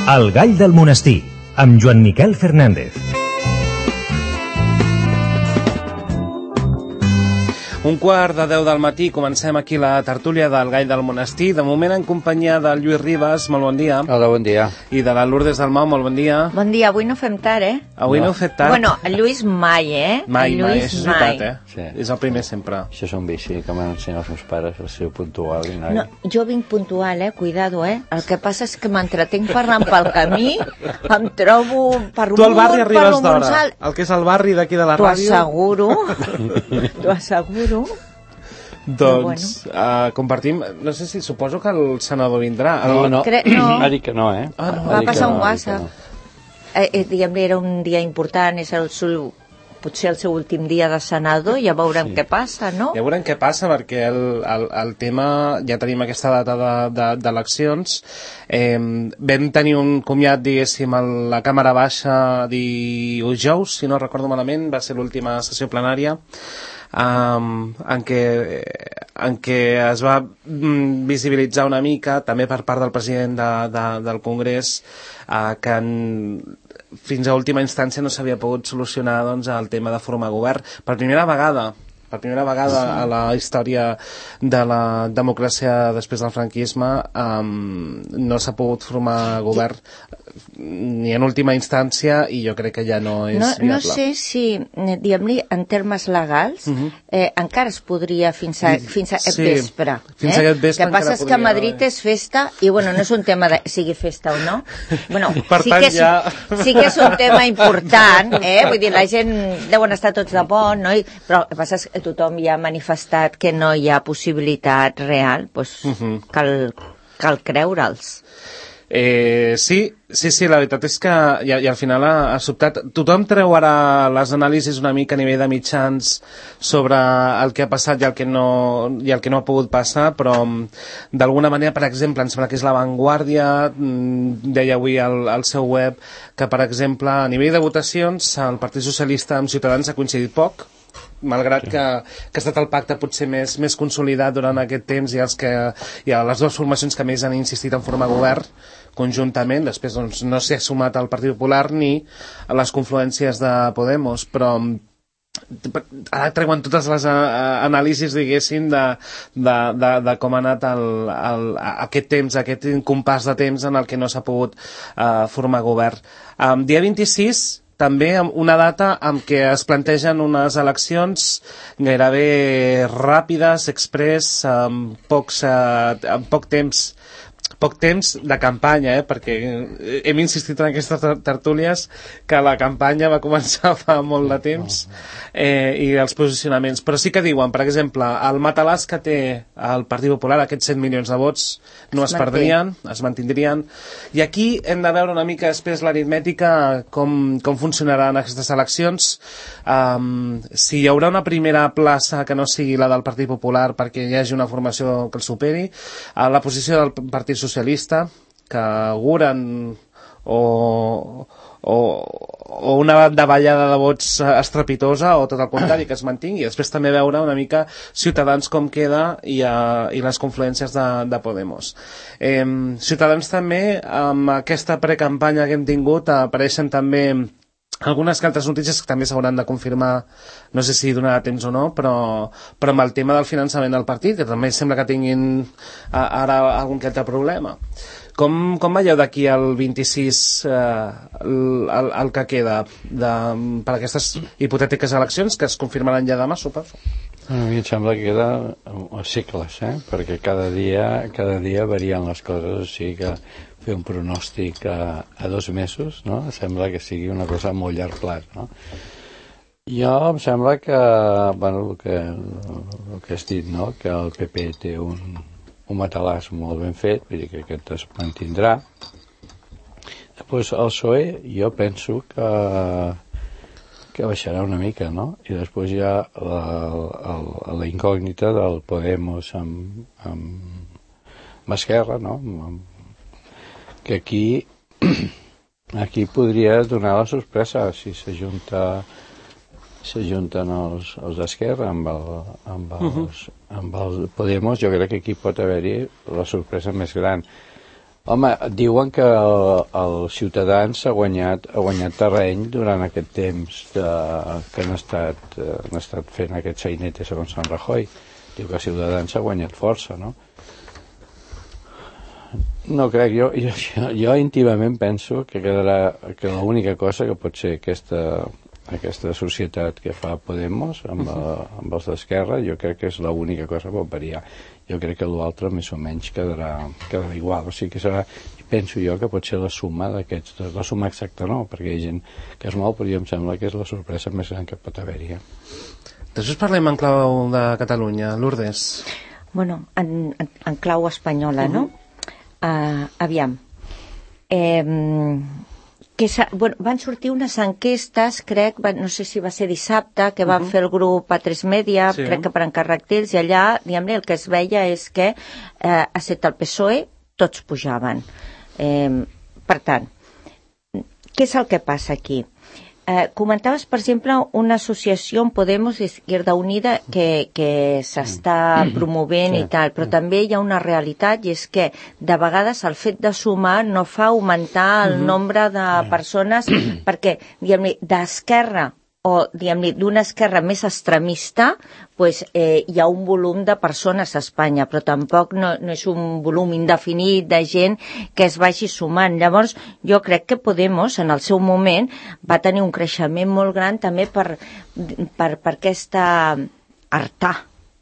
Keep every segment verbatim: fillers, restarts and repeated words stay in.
El gall del monestir, amb Joan Miquel Fernández. Un quart de deu del matí, comencem aquí la tertúlia del Gall del Monestir, de moment en companyia del Lluís Ribas, molt bon dia. Hola, bon dia. I de la Lourdes Dalmau, molt bon dia. Bon dia, avui no fem tard, eh? Avui no, no heu fet tard? Bueno, el Lluís mai, eh? Mai, el mai, Lluís això és mai. veritat, eh? Sí. És el primer sempre. Això és un vici que m'han ensenyat els meus pares, el seu puntual. I no, No, jo vinc puntual, eh? Cuidado, eh? El que passa és que m'entretenc parlant pel camí, em trobo per tu al barri un, arribes per un d'hora, Montsal. el que és el barri d'aquí de la T'ho ràdio. asseguro, t'ho asseguro. Doncs bueno. uh, compartim, no sé si suposo que el senador vindrà. El... no, no. Cre no. Ha dit que no, eh? Ah, no. Va passar no, un WhatsApp. No. Eh, eh, diguem-li, era un dia important, és el seu, potser el seu últim dia de senador, ja veurem sí. què passa, no? Ja veurem què passa, perquè el, el, el tema, ja tenim aquesta data d'eleccions, de, de, eh, vam tenir un comiat, diguéssim, a la Càmera Baixa dijous, si no recordo malament, va ser l'última sessió plenària, Um, en, què, en què es va mm, visibilitzar una mica, també per part del president de, de, del Congrés, uh, que en, fins a última instància no s'havia pogut solucionar doncs, el tema de formar govern. Per primera vegada, per primera vegada a la història de la democràcia després del franquisme, um, no s'ha pogut formar govern ni en última instància, i jo crec que ja no és no, viable. No sé si, diguem-li, en termes legals, uh -huh. eh, encara es podria fins a, fins a aquest sí, vespre. Fins eh? a aquest vespre el que passa és que a Madrid és festa, i bueno, no és un tema de sigui festa o no. Bueno, per sí, tant, que és, ja... sí que és un tema important, eh? Vull dir, la gent deuen estar tots de bon, no? I, però el que passa és que tothom ja ha manifestat que no hi ha possibilitat real, doncs uh -huh. cal, cal creure'ls. Eh, sí, sí, sí, la veritat és que i, i al final ha, ha sobtat. Tothom treu ara les anàlisis una mica a nivell de mitjans sobre el que ha passat i el que no, i el que no ha pogut passar, però d'alguna manera, per exemple, em sembla que és La Vanguardia, deia avui al, al seu web que, per exemple, a nivell de votacions el Partit Socialista amb Ciutadans ha coincidit poc, malgrat sí. que, que ha estat el pacte potser més, més consolidat durant aquest temps, i, els que, i les dues formacions que més han insistit en formar govern conjuntament. Després doncs, no s'ha sumat al Partit Popular ni a les confluències de Podemos, però ara treuen totes les uh, anàlisis, diguéssim, de, de, de, de com ha anat el, el, aquest temps, aquest compàs de temps en el que no s'ha pogut uh, formar govern. Um, dia vint-i-sis, també una data en què es plantegen unes eleccions gairebé ràpides, express, amb, pocs, uh, amb poc temps poc temps de campanya, eh? Perquè hem insistit en aquestes tertúlies que la campanya va començar fa molt de temps, eh, i els posicionaments, però sí que diuen, per exemple, el matalàs que té el Partit Popular, aquests set milions de vots no es, es perdrien, es mantindrien, i aquí hem de veure una mica després l'aritmètica, com, com funcionaran aquestes eleccions, um, si hi haurà una primera plaça que no sigui la del Partit Popular perquè hi hagi una formació que el superi, a la posició del Partit Socialista, que auguren o, o, o una davallada de vots estrepitosa, o tot el contrari, que es mantingui. Després també veure una mica Ciutadans com queda, i, uh, i les confluències de, de Podemos. Eh, Ciutadans també, amb aquesta precampanya que hem tingut, apareixen també algunes que altres notícies que també s'hauran de confirmar, no sé si donarà temps o no, però, però amb el tema del finançament del partit, que també sembla que tinguin ara algun que altre problema. Com, com veieu d'aquí al vint-i-sis eh, el, el, el que queda de, per aquestes hipotètiques eleccions que es confirmaran ja demà, suposo? A mi em sembla que queda a cicles, eh? Perquè cada dia, cada dia varien les coses, o sigui que fer un pronòstic a, a dos mesos, no? Sembla que sigui una cosa a molt llarg plaç, no? Jo em sembla que, bueno, el que, el que has dit, no? Que el P P té un, un matalàs molt ben fet, vull dir que aquest es mantindrà. Després el P S O E jo penso que que baixarà una mica, no? I després hi ha la, la, la incògnita del Podemos amb, amb, amb Esquerra, no? Que aquí aquí podria donar la sorpresa si s'ajunta s'ajunten els, els d'Esquerra amb el, amb, els, uh -huh. amb el Podemos. Jo crec que aquí pot haver-hi la sorpresa més gran. Home, diuen que el, el Ciutadans ha guanyat, ha guanyat terreny durant aquest temps de, que han estat, eh, han estat fent aquest sainete segons Sant Rajoy. Diu que Ciutadans ha guanyat força, no? No crec, jo, jo, jo íntimament penso que quedarà, que l'única cosa que pot ser aquesta, aquesta societat que fa Podemos amb, uh, amb els d'Esquerra, jo crec que és l'única cosa que pot variar. Jo crec que l'altre més o menys quedarà, quedarà igual, o sigui que serà, penso jo que pot ser la suma d'aquests, la suma exacta no, perquè hi ha gent que es mou, però jo em sembla que és la sorpresa més gran que pot haver-hi. Després parlem en clau de Catalunya, Lourdes. Bueno, en, en, en clau espanyola, uh-huh. no? Uh, aviam. Eh, que bueno, van sortir unes enquestes, crec, van, no sé si va ser dissabte, que van uh-huh. fer el grup A tres Media, sí. crec que per encàrrec d'ells, i allà, diguem-ne, el que es veia és que, eh, excepte el P S O E, tots pujaven. Eh, per tant, què és el que passa aquí? Eh, comentaves, per exemple, una associació en Podemos Izquierda Unida que, que s'està promovent sí. i tal, però també hi ha una realitat i és que de vegades el fet de sumar no fa augmentar el uh-huh. nombre de persones perquè, diguem-ne, d'esquerra o, diguem-ne, d'una esquerra més extremista, pues, eh, hi ha un volum de persones a Espanya, però tampoc no, no és un volum indefinit de gent que es vagi sumant. Llavors, jo crec que Podemos, en el seu moment, va tenir un creixement molt gran també per, per, per aquesta hartar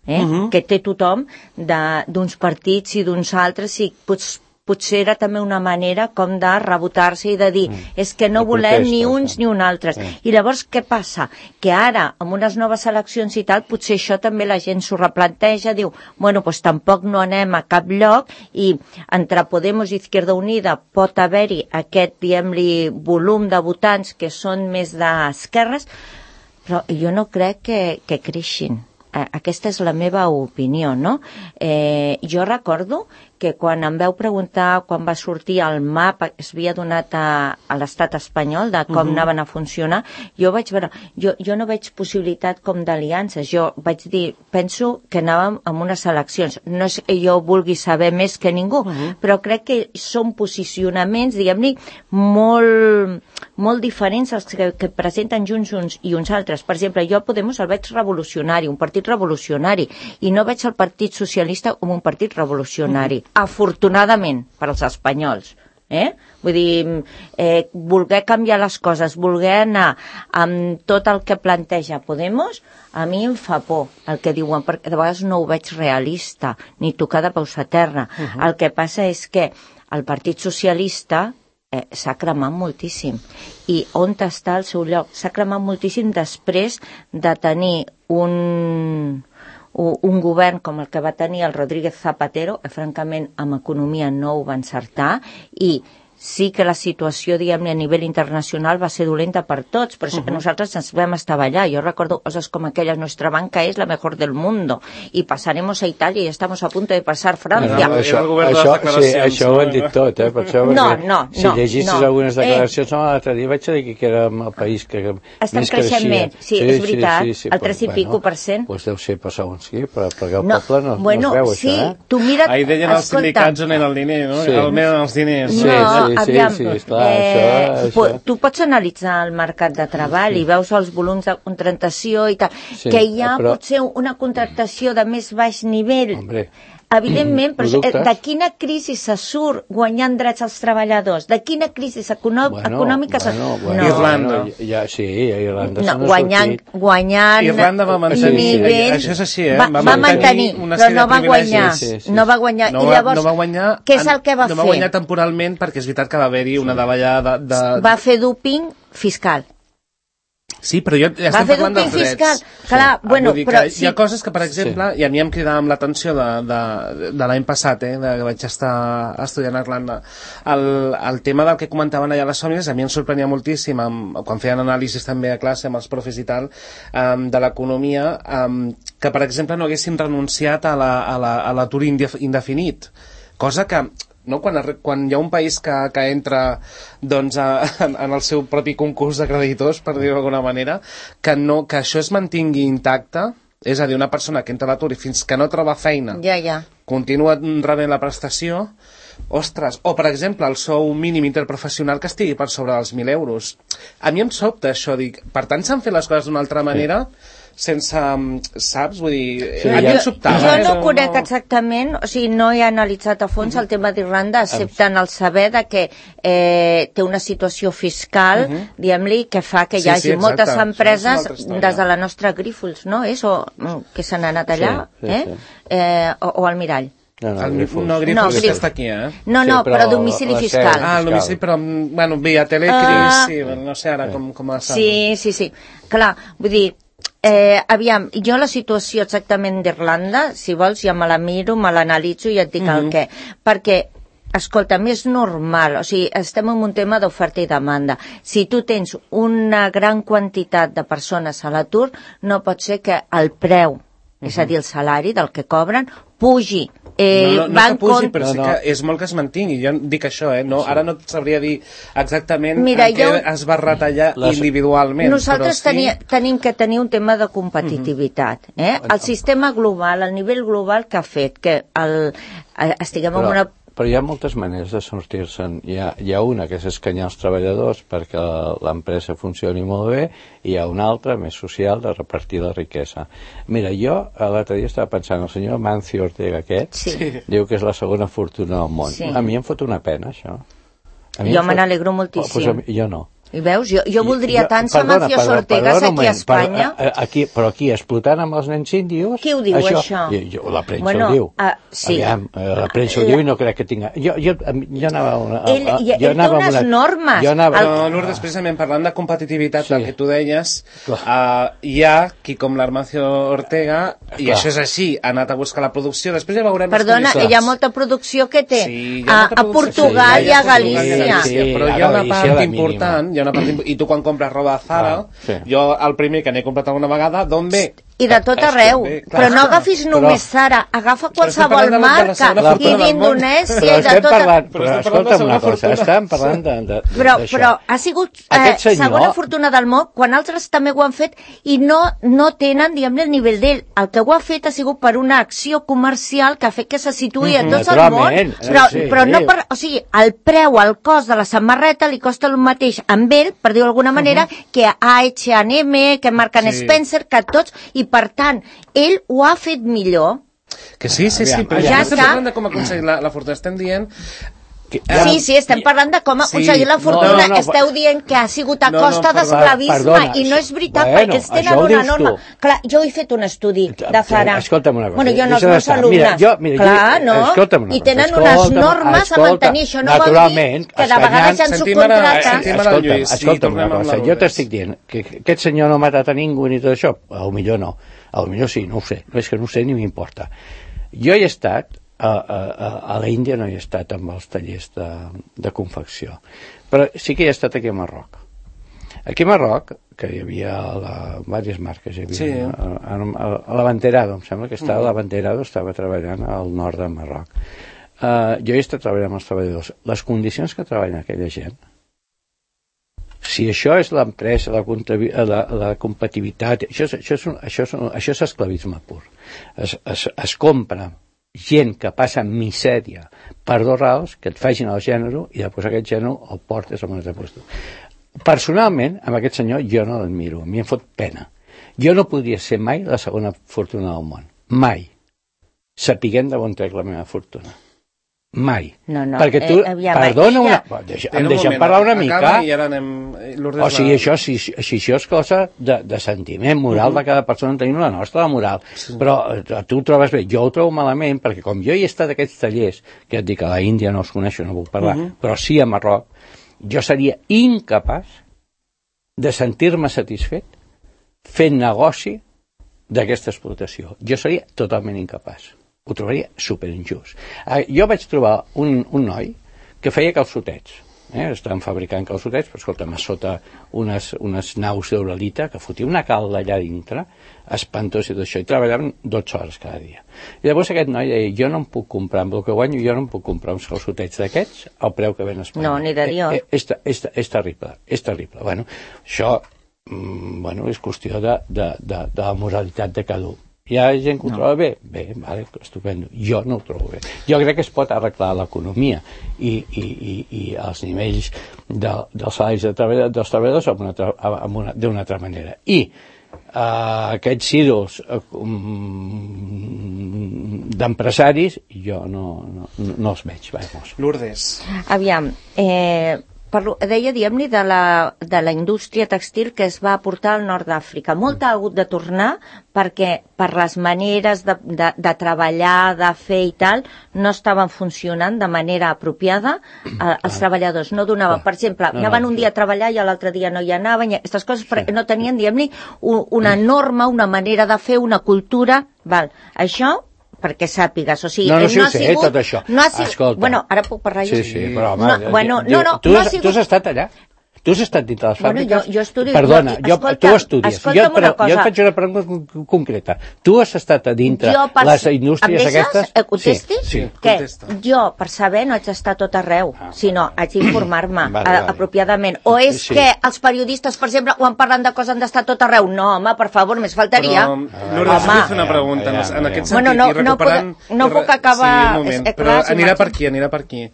eh, uh-huh. que té tothom d'uns partits i d'uns altres i pots potser era també una manera com de rebotar-se i de dir, mm. és que no volem ni uns ni un altres. Sí. I llavors què passa? Que ara, amb unes noves eleccions i tal, potser això també la gent s'ho replanteja, diu, bueno, doncs tampoc no anem a cap lloc i entre Podemos i Izquierda Unida pot haver-hi aquest, diguem-li, volum de votants que són més d'esquerres, però jo no crec que, que creixin. Aquesta és la meva opinió, no? Eh, jo recordo que quan em veu preguntar, quan va sortir el mapa que es havia donat a, a l'estat espanyol de com uh-huh. anaven a funcionar, jo vaig veure, jo, jo no veig possibilitat com d'aliances, jo vaig dir, penso que anàvem amb unes eleccions, no és que jo vulgui saber més que ningú, uh-huh. però crec que són posicionaments, diguem-ne, molt, molt diferents als que, que presenten junts uns i uns altres. Per exemple, jo a Podemos el veig revolucionari, un partit revolucionari, i no veig el Partit Socialista com un partit revolucionari. Uh-huh. Afortunadament per als espanyols, eh? Vull dir, eh, voler canviar les coses, voler anar amb tot el que planteja Podemos, a mi em fa por el que diuen, perquè de vegades no ho veig realista, ni tocar de peus a terra. Uh-huh. El que passa és que el Partit Socialista eh, s'ha cremat moltíssim. I on està el seu lloc? S'ha cremat moltíssim després de tenir un... un govern com el que va tenir el Rodríguez Zapatero, que francament amb economia no ho va encertar, i sí que la situació, diguem-ne, a nivell internacional va ser dolenta per tots, però uh-huh. nosaltres ens vam estar allà. Jo recordo coses com aquella, nuestra banca és la mejor del mundo, i passaremos a Itàlia i estamos a punto de passar Francia. No, això, això, sí, això ho han dit tot, eh? Per això, no, no, si no, llegissis no. algunes declaracions, eh, no, l'altre dia vaig dir que érem el país que estan més creixent creixia. Més, sí, sí, és veritat, sí, sí, sí, el tres i bueno, pico per cent. Doncs deu ser per segons qui, però perquè el no, poble no, bueno, no es veu sí, això, eh? Tu mira't, ahir deien els sindicats on era el diner, no? Sí. On eren els diners. Sí, no, sí, sí, aviam, sí, sí. Clar, eh, això, això. això. Tu pots analitzar el mercat de treball sí. i veus els volums de contractació i tal, sí, que hi ha però... potser una contractació de més baix nivell. Hombre. Evidentment, però de quina crisi se surt guanyant drets als treballadors? De quina crisi econò bueno, econòmica se bueno, surt? Bueno, no. Irlanda. Bueno, ja, sí, a Irlanda no, guanyant, guanyant Irlanda va mantenir, nivell, això és així, eh? Va, va mantenir, però no va guanyar. Sí, sí, sí. No va guanyar. No, I llavors, no va guanyar, què és el que va no fer? No va guanyar temporalment perquè és veritat que va haver-hi una davallada de, de... Va fer dúping fiscal. Sí, però jo ja estem parlant dels drets. Fiscal. Clar, sí. bueno, dir però... Que hi ha coses que, per exemple, sí. i a mi em cridava l'atenció de, de, de l'any passat, eh, de, que vaig estar estudiant a Irlanda, el, el tema del que comentaven allà a les famílies, a mi em sorprenia moltíssim, amb, quan feien anàlisis també a classe amb els profes i tal, um, de l'economia, um, que, per exemple, no haguessin renunciat a l'atur indefinit, cosa que... No? Quan, quan hi ha un país que, que entra doncs, a, en, en el seu propi concurs de creditors, per dir-ho d'alguna manera, que, no, que això es mantingui intacte, és a dir, una persona que entra a l'atur i fins que no troba feina ja, ja. continua rebent la prestació, ostres, o per exemple el sou mínim interprofessional que estigui per sobre dels mil euros. A mi em sobta això, dic, per tant s'han fet les coses d'una altra manera, sense, saps? Vull dir, sí, a mi em sobtava. Jo no conec exactament, o sigui, no he analitzat a fons el tema d'Irlanda, excepte en el saber de que eh, té una situació fiscal, uh -huh. diguem-li, que fa que hi hagi sí, sí, moltes empreses des de la nostra Grífols, no? És, o, que s'han anat allà, sí, sí, eh? Sí. Eh, o, o al Mirall. No, no, el, Grífols. No, Grífols no, Grífols està aquí, eh? No, no, sí, però, però domicili fiscal. Ah, el domicili, però, bueno, via Telecris, uh, sí, no sé ara com, com està. Sí, sí, sí. Clar, vull dir, Eh, aviam, jo la situació exactament d'Irlanda, si vols ja me la miro, me l'analitzo i et dic mm-hmm. el què. Perquè, escolta, és normal, o sigui, estem en un tema d'oferta i demanda. Si tu tens una gran quantitat de persones a l'atur, no pot ser que el preu, mm-hmm. és a dir, el salari del que cobren, pugi. Eh, no, no, no que pugi, però no, sí no. que és molt que es mantingui. Jo dic això, eh? No, sí. Ara no et sabria dir exactament Mira, en què jo... es va retallar les... individualment. Nosaltres però sí... tenia, tenim que tenir un tema de competitivitat. Eh? El sistema global, el nivell global que ha fet que el, estiguem però... en una... Però hi ha moltes maneres de sortir-se'n. Hi ha, hi ha una que és escanyar els treballadors perquè l'empresa funcioni molt bé i hi ha una altra, més social, de repartir la riquesa. Mira, jo l'altre dia estava pensant, el senyor Mancio Ortega aquest, sí. diu que és la segona fortuna del món. Sí. A mi em fot una pena, això. Jo me n'alegro moltíssim. Oh, pues jo no. I veus, jo, jo voldria tant ser Mancio Ortegas aquí a Espanya. Per, aquí, però aquí, explotant amb els nens índios... Qui ho diu, això? això? Jo, jo, la premsa bueno, ho diu. Uh, sí. Aviam, la premsa ho diu i no crec que tinga... Jo, jo, jo anava... Una, ell a, jo ell anava té unes una, normes. Anava, no, Lourdes, precisament parlant de competitivitat, sí. el que tu deies, uh, hi ha qui com l'Armancio Ortega, i Clar. això és així, ha anat a buscar la producció, després ja veurem... Perdona, hi ha molta producció que té sí, a, a Portugal sí, i a Galícia. Sí, sí, però hi ha una part important... Una part i tu quan compres roba a Zara, ah, sí. jo el primer que n'he comprat alguna vegada, d'on ve? I de tot arreu. Bé, però no agafis només però, Zara, agafa qualsevol marca, i d'Indonèsia, i de tot arreu. Però escolta'm una cosa, estàvem parlant d'això. Però, però ha sigut eh, senyor... segona fortuna del món, quan altres també ho han fet, i no, no tenen, diguem-ne, el nivell d'ell. El que ho ha fet ha sigut per una acció comercial que ha fet que se situï a tot el món, però, sí, però no per... O sigui, el preu, el cost de la samarreta li costa el mateix amb ell, per dir-ho d'alguna manera, uh -huh. que a H and M, que Marc and sí. Spencer, que tots, i per tant, ell ho ha fet millor. Que sí, sí, sí, però ja estem parlant de com aconseguir la, la fortuna. Estem dient... Que, ja, sí, sí, estem parlant de com aconseguir sí, la fortuna. No, no, no, Esteu dient que ha sigut a costa no, no, d'esclavisme, i no és veritat, bueno, perquè ells tenen una norma. Clar, jo he fet un estudi de Zara. Escolta'm una cosa. Bueno, jo no els meus alumnes. Mira, jo, mira, Clar, no? I tenen unes normes a mantenir. Això no vol dir que de vegades ja en subcontracten. Escolta'm, escolta'm una cosa. Jo t'estic dient que aquest senyor no ha matat a ningú ni tot això. A lo millor no. A lo millor sí, no ho sé. No és que no ho sé ni m'importa. Jo he estat... A, a, a la Índia no hi he estat amb els tallers de, de confecció, però sí que hi he estat aquí a Marroc. Aquí a Marroc, que hi havia la, diverses marques, hi havia sí. a, a, a l'Avanterado, em sembla que estava mm. l'Avanterado, estava treballant al nord de Marroc. Uh, jo he estat treballant amb els treballadors. Les condicions que treballen aquella gent, si això és l'empresa, la, la, la competitivitat, això és, això, és, això, és, això és esclavisme pur. Es, es, es compra gent que passa misèria per dos raus, que et facin el gènere i després aquest gènere el portes a un altre lloc. Personalment, amb aquest senyor jo no l'admiro, a mi em fot pena. Jo no podria ser mai la segona fortuna del món, mai, sapiguem de on trec la meva fortuna. Mai. No, no. Perquè tu, eh, perdona una... Ja... Deixa, em deixem parlar una mica. Anem... O sigui, això, si, si això és cosa de, de sentiment moral uh -huh. de cada persona, tenim la nostra moral. Sí. Però tu ho trobes bé. Jo ho trobo malament, perquè com jo hi he estat a aquests tallers, que et dic que a la Índia no els coneixo, no puc parlar, uh -huh. però sí a Marroc, jo seria incapaç de sentir-me satisfet fent negoci d'aquesta explotació. Jo seria totalment incapaç. Ho trobaria superinjust. Uh, jo vaig trobar un, un noi que feia calçotets. Eh? Estaven fabricant calçotets, però escolta'm, a sota unes, unes naus d'Uralita que fotia una calda allà dintre, espantós i tot això, i treballaven dotze hores cada dia. I llavors aquest noi deia, jo no em puc comprar, amb el que guanyo, jo no em puc comprar uns calçotets d'aquests al preu que ven a Espanya. No, ni de Dios. Eh, eh, és, és, és terrible, és terrible. Bueno, això mm, bueno, és qüestió de, de, de, de la moralitat de cada un. Hi ha gent que ho troba bé? Bé, vale, estupendo. Jo no ho trobo bé. Jo crec que es pot arreglar l'economia i, i, i, i els nivells de, dels salaris de treballadors, dels treballadors amb una, amb una, d'una altra manera. I uh, aquests ídols uh, um, d'empresaris jo no, no, no els veig. Vamos. Lourdes. Aviam, eh... Parlo, deia, diguem-ne, de, la, de la indústria textil que es va portar al nord d'Àfrica. Molta ha hagut de tornar perquè per les maneres de, de, de treballar, de fer i tal, no estaven funcionant de manera apropiada. Eh, els treballadors no donaven, per exemple, anaven un dia a treballar i l'altre dia no hi anaven, aquestes coses no tenien, diguem-ne, una norma, una manera de fer, una cultura. Val. Això perquè sàpigues, o sigui... No, no, sí no ho sé, sigut, tot això. No ha sigut, escolta. Bueno, ara puc parlar jo. Sí, sí, però home... No, bueno, diu, no, no, tu, no has, ha sigut... Tu has estat allà? Tu has estat dintre les Bueno, fàbriques? jo, jo estudio... Perdona, jo, jo, escolta, tu estudies. Jo, però, jo et faig una pregunta concreta. Tu has estat a dintre per, les indústries aquestes? Eh, contesti? Sí, sí. Que jo, per saber, no haig d'estar tot arreu, ah, sinó haig d'informar-me vale, vale. apropiadament. O és sí. que els periodistes, per exemple, quan parlen de coses han d'estar tot arreu? No, home, per favor, més faltaria. Però, Lourdes, vull fer una pregunta en, en aquest sentit. Bueno, no, i recuperant... no, puc, no puc acabar... Sí, un moment, és, però clar, anirà per aquí, anirà per aquí,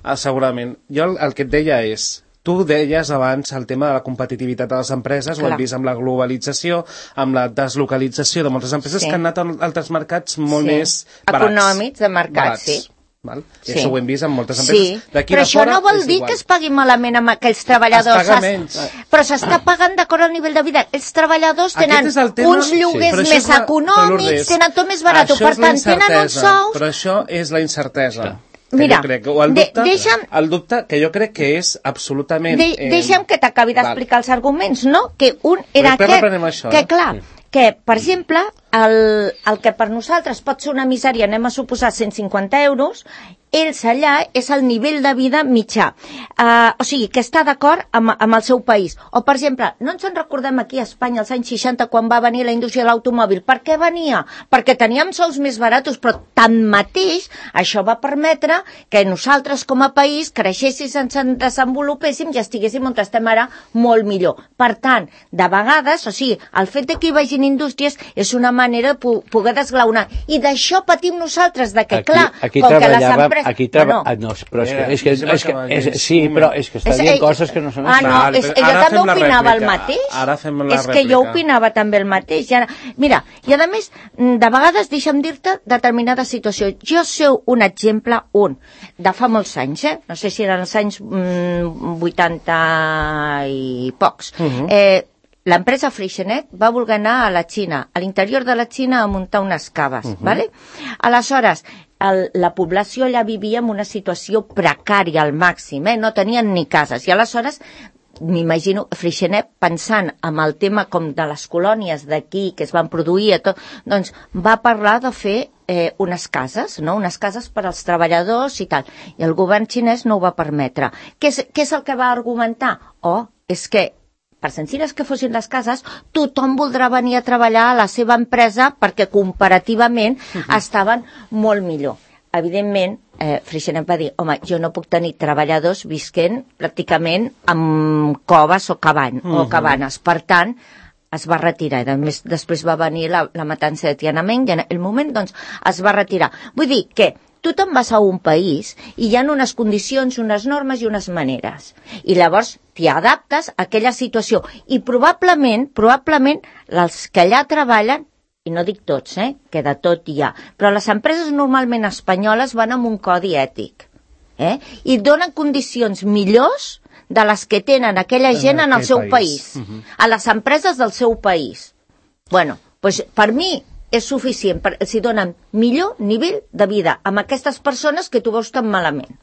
ah, segurament. Jo el, el que et deia és... Tu deies abans el tema de la competitivitat de les empreses, clar. Ho hem vist amb la globalització, amb la deslocalització de moltes empreses sí. que han anat a altres mercats molt sí. més barats. Econòmics de mercat, barats. Sí. Val? I sí. això ho hem vist amb moltes empreses. Sí. Però això no vol dir que es pagui malament amb aquells treballadors. Es paga menys. Però s'està pagant d'acord al nivell de vida. Els treballadors tenen uns lloguers sí. més econòmics, tenen tot més barat, per tant tenen uns sous... Però això és la incertesa. Mira, crec, o el dubte, de, deixa'm, el dubte que jo crec que és absolutament... De, eh, deixa'm que t'acabi d'explicar els arguments, no? Que un era aquest, això, que eh? clar, que, per exemple, el, el que per nosaltres pot ser una misèria, anem a suposar cent cinquanta euros, ells allà és el nivell de vida mitjà. Uh, o sigui, que està d'acord amb, amb el seu país. O, per exemple, no ens en recordem aquí a Espanya als anys seixanta quan va venir la indústria de l'automòbil. Per què venia? Perquè teníem sols més baratos, però tanmateix això va permetre que nosaltres com a país creixéssim, ens desenvolupéssim i estiguéssim on estem ara molt millor. Per tant, de vegades, o sigui, el fet de que hi vagin indústries és una manera de poder desglaunar. I d'això patim nosaltres, de que, aquí, clar, aquí com que les empreses... Aquí treba... Ah, no, però és que... És que, és que és, sí, però és que està dient coses que no són... Ah, no, és, jo també opinava el mateix. Ara fem la és que jo opinava també el mateix. Ja, mira, i a més, de vegades deixa'm dir-te determinada situació. Jo sé un exemple, un, de fa molts anys, eh? No sé si eren els anys mm, vuitanta i pocs. Uh -huh. eh, L'empresa Freixenet va voler anar a la Xina, a l'interior de la Xina, a muntar unes caves, uh -huh. ¿vale? Aleshores, el, la població allà vivia en una situació precària al màxim, eh? No tenien ni cases, i aleshores m'imagino Freixenet pensant en el tema com de les colònies d'aquí que es van produir, tot, doncs va parlar de fer eh, unes cases, no? Unes cases per als treballadors i tal, i el govern xinès no ho va permetre. Què és, què és el que va argumentar? Oh, és que per senzilles que fossin les cases, tothom voldrà venir a treballar a la seva empresa perquè comparativament uh-huh. estaven molt millor. Evidentment, eh, Freixenet va dir, home, jo no puc tenir treballadors visquent pràcticament amb coves o, cabany, uh-huh. o cabanes. Per tant, es va retirar. I més, després va venir la, la matança de Tiananmen i en el moment doncs, es va retirar. Vull dir que tu te'n vas a un país i hi ha unes condicions, unes normes i unes maneres. I llavors t'hi adaptes a aquella situació. I probablement, probablement, els que allà treballen, i no dic tots, eh, que de tot hi ha, però les empreses normalment espanyoles van amb un codi ètic. Eh? I donen condicions millors de les que tenen aquella gent en el seu país. Uh-huh. A les empreses del seu país. Bueno, doncs per mi és suficient, per, si donen millor nivell de vida amb aquestes persones que tu veus tan malament.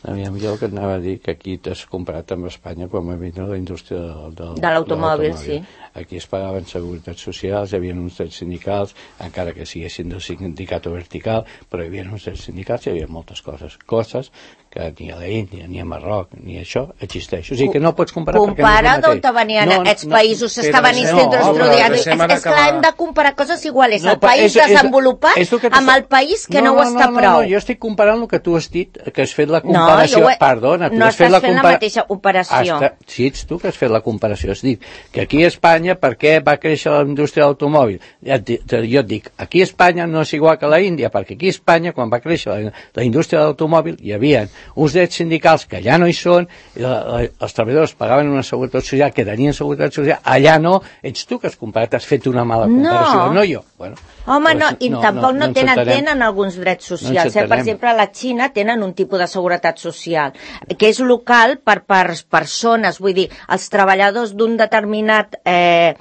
Aviam, jo el que anava a dir que aquí t'has comparat amb Espanya quan va vindre la indústria del, del, de l'automòbil, sí. Aquí es pagaven seguretats socials, hi havia uns drets sindicals, encara que siguessin del sindicat o vertical, però hi havia uns drets sindicals i hi havia moltes coses. Coses que ni a l'Índia, ni a Marroc, ni això existeix. O sigui que no pots comparar perquè no és el mateix. Compara d'on te venien no, aquests no, països que estaven estudiats. És, és clar, hem de comparar coses iguals. No, el país és, desenvolupat és, és amb el país que no, no, no ho està no, no, prou. No, no, jo estic comparant el que tu has dit, que has fet la comparació. No, he, Perdona, tu no has fet la, fent la mateixa operació. Hasta, sí, ets tu que has fet la comparació. Has dit que aquí a Espanya, per què va créixer la indústria de l'automòbil? Jo et dic, aquí a Espanya no és igual que a l'Índia, perquè aquí a Espanya, quan va créixer la, la indústria de l'automòbil, hi havia uns drets sindicals que ja no hi són, i la, la, els treballadors pagaven una seguretat social, que tenien seguretat social, allà no, ets tu que has comparat, has fet una mala comparació, no, no jo. Bueno, home, no, i no, tampoc no, no, no tenen, tenen alguns drets socials, no eh? Per exemple, a la Xina tenen un tipus de seguretat social, que és local per, per persones, vull dir, els treballadors d'un determinat... Eh,